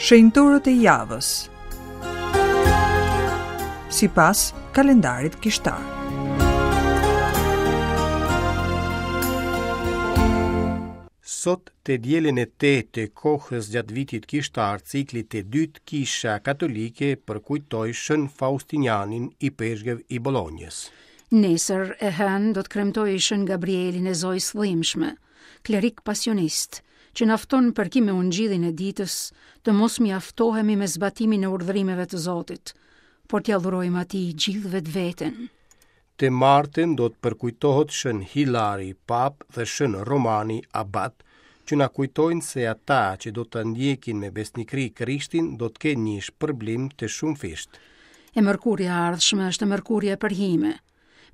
Shenjtorët e javës. Sipas kalendarit kishtar. Sot të dielën e tetë të kohës gjatë vitit kishtar, ciklit të dytë Kisha Katolike përkujtoi Shën Faustinianin, ipeshkëv i Bolonjës. Nesër, e hënë, do të kremtojë Shën Gabrielin e Zojës së Dhimbshme, klerik pasionist, që na fton përkim me ungjillin e ditës, të mos mjaftohemi me zbatimin e urdhërimeve të Zotit, por t'ia dhurojmë atij gjithë vetveten. Të martën do të përkujtohet Shën Hilari, Papë dhe Shën Romani, Abat, që na kujtojnë se ata që do të ndjekin me besnikëri Krishtin do të kenë një shpërblim të shumëfishtë. E mërkurja e ardhshme është e mërkurja e përhime.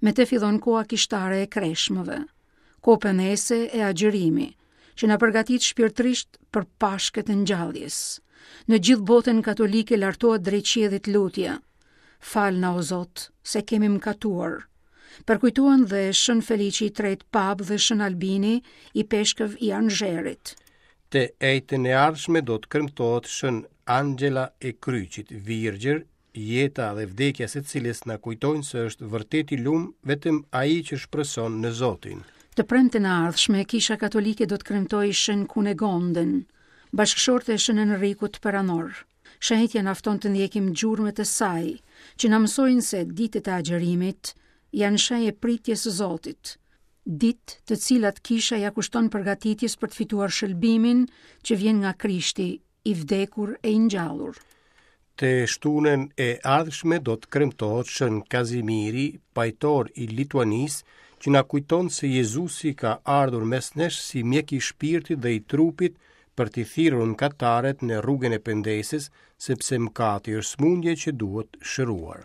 Me te fillon koha kishtare e kreshmëve, kohë pendese e agjërimi, që na përgatit shpirtërisht për Pashkët e ngjalljes. Në gjithë botën katolike lartohet drejt qiellit lutja. Falna o Zot, se kemi mëkatuar. Përkujtohen dhe Shën Feliçi i Tretë Papë dhe Shën Albini, ipeshkëv i Anzherit. Të enjten e ardhshme do të kremtohet Shën Angjela e Kryqit, Virgjër, jeta dhe vdekja e së cilës na kujtojnë se është vërtet i lum vetëm ai që shpreson në Zotin. Të premten e ardhshme, Kisha Katolike do të kremtojë Shën Kunegonden, bashkëshorte e Shën Enrikut Perandor. Shenjtja na fton të ndjekim gjurmët e saj, që na mësojnë se ditët e agjërimit janë shenjë e pritjes së Zotit, ditë të cilat Kisha ia kushton përgatitjes për të fituar shëlbimin që vjen nga Krishti, i vdekur e i ngjallur. Të shtunën e ardhshme do të kremtohet Shën Kazimiri, pajtor i Lituanisë, që na kujton se Jezusi ka ardhur mes nesh si mjek i shpirtit dhe i trupit për t'i thirrur mëkatarët në rrugën e pendesës, sepse mëkati është sëmundje që duhet shëruar.